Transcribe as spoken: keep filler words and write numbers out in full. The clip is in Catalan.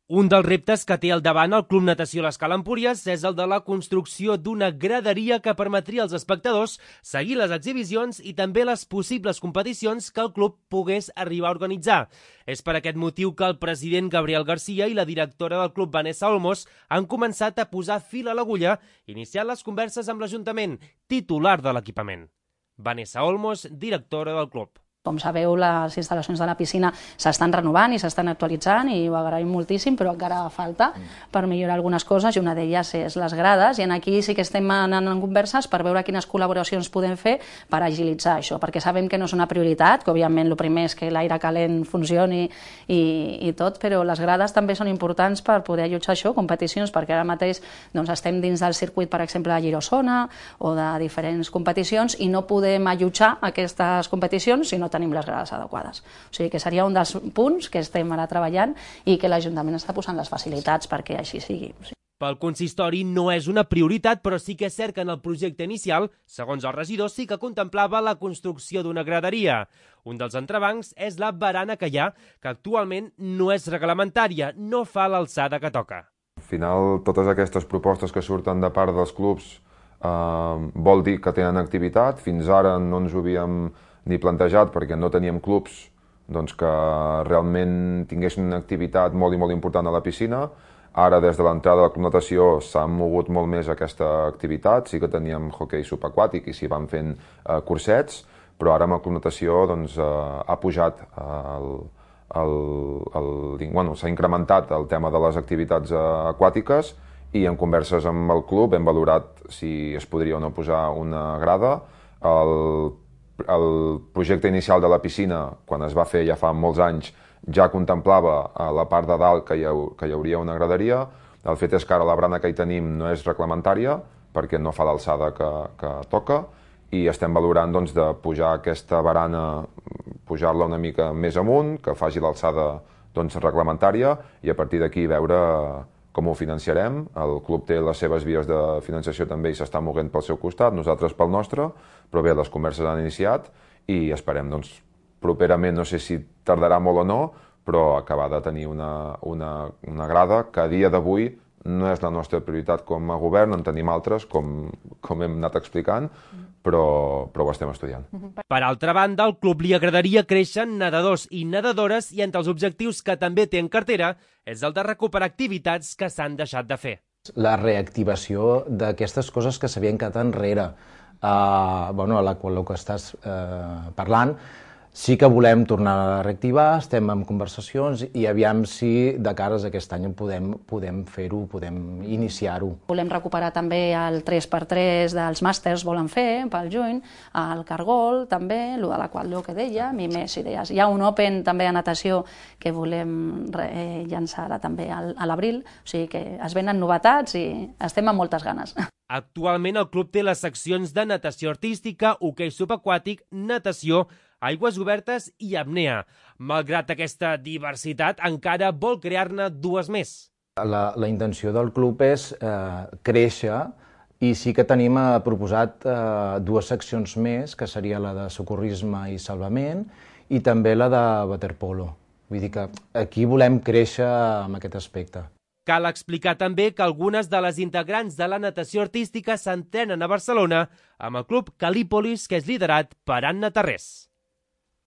Un dels reptes que té al davant el Club Natació l'Escala Empúries és el de la construcció d'una graderia que permetria als espectadors seguir les exhibicions i també les possibles competicions que el club pogués arribar a organitzar. És per aquest motiu que el president Gabriel Garcia i la directora del club Vanessa Olmos han començat a posar fil a l'agulla, iniciant les converses amb l'Ajuntament, titular de l'equipament. Vanessa Olmos, directora del club. Com sabeu, les instal·lacions de la piscina s'estan renovant i s'estan actualitzant i ho agraïm moltíssim, però encara falta per millorar algunes coses i una d'elles és les grades, i aquí sí que estem anant en converses per veure quines col·laboracions podem fer per agilitzar això, perquè sabem que no és una prioritat, que òbviament el primer és que l'aire calent funcioni i, i tot, però les grades també són importants per poder allotjar això, competicions, perquè ara mateix doncs, estem dins del circuit, per exemple, de Girosona o de diferents competicions i no podem allotjar aquestes competicions si no tenim les grades adequades. O sigui que seria un dels punts que estem ara treballant i que l'Ajuntament està posant les facilitats perquè així sigui. Pel consistori no és una prioritat, però sí que és cert que en el projecte inicial, segons el regidor, sí que contemplava la construcció d'una graderia. Un dels entrebancs és la barana que hi ha, que actualment no és reglamentària, no fa l'alçada que toca. Al final, totes aquestes propostes que surten de part dels clubs eh, vol dir que tenen activitat. Fins ara no ens ho havíem ni plantejat perquè no teníem clubs doncs, que realment tinguessin una activitat molt i molt important a la piscina. Ara, des de l'entrada de la Club Natació, s'ha mogut molt més aquesta activitat. Sí que teníem hoquei subaquàtic i s'hi van fent eh, cursets, però ara amb la Club Natació doncs, eh, ha pujat el, el, el, bueno, s'ha incrementat el tema de les activitats eh, aquàtiques i en converses amb el club hem valorat si es podria o no posar una grada. El El projecte inicial de la piscina, quan es va fer ja fa molts anys, ja contemplava a la part de dalt que hi, ha, que hi hauria una graderia. El fet és que ara la barana que hi tenim no és reglamentària perquè no fa l'alçada que, que toca i estem valorant doncs, de pujar aquesta barana, pujar-la una mica més amunt, que faci l'alçada doncs, reglamentària i a partir d'aquí veure com ho financiarem. El club té les seves vies de financiació també i s'està movent pel seu costat, nosaltres pel nostre, però bé, les converses han iniciat i esperem, doncs, properament, no sé si tardarà molt o no, però acabar de tenir una, una, una grada que a dia d'avui no és la nostra prioritat com a govern, en tenim altres, com, com hem anat explicant, però, però ho estem estudiant. Per altra banda, al club li agradaria créixer nedadors i nedadores i entre els objectius que també té en cartera és el de recuperar activitats que s'han deixat de fer. La reactivació d'aquestes coses que s'havien quedat enrere, uh, bueno, a la qual que estàs uh, parlant, sí que volem tornar a reactivar, estem en conversacions i aviam si de cares a aquest any podem, podem fer-ho, podem iniciar-ho. Volem recuperar també el tres per tres dels màsters volen fer pel juny, el cargol també, el de la qual jo que deia, i més idees. Hi ha un Open també a natació que volem eh, llançar ara també a l'abril, o sigui que es venen novetats i estem amb moltes ganes. Actualment el club té les seccions de natació artística, hoquei subaquàtic, natació, aigües obertes i apnea. Malgrat aquesta diversitat, encara vol crear-ne dues més. La, la intenció del club és eh, créixer i sí que tenim eh, proposat eh, dues seccions més, que seria la de socorrisme i salvament i també la de waterpolo. Vull dir que aquí volem créixer en aquest aspecte. Cal explicar també que algunes de les integrants de la natació artística s'entrenen a Barcelona amb el club Calípolis, que és liderat per Anna Tarrés.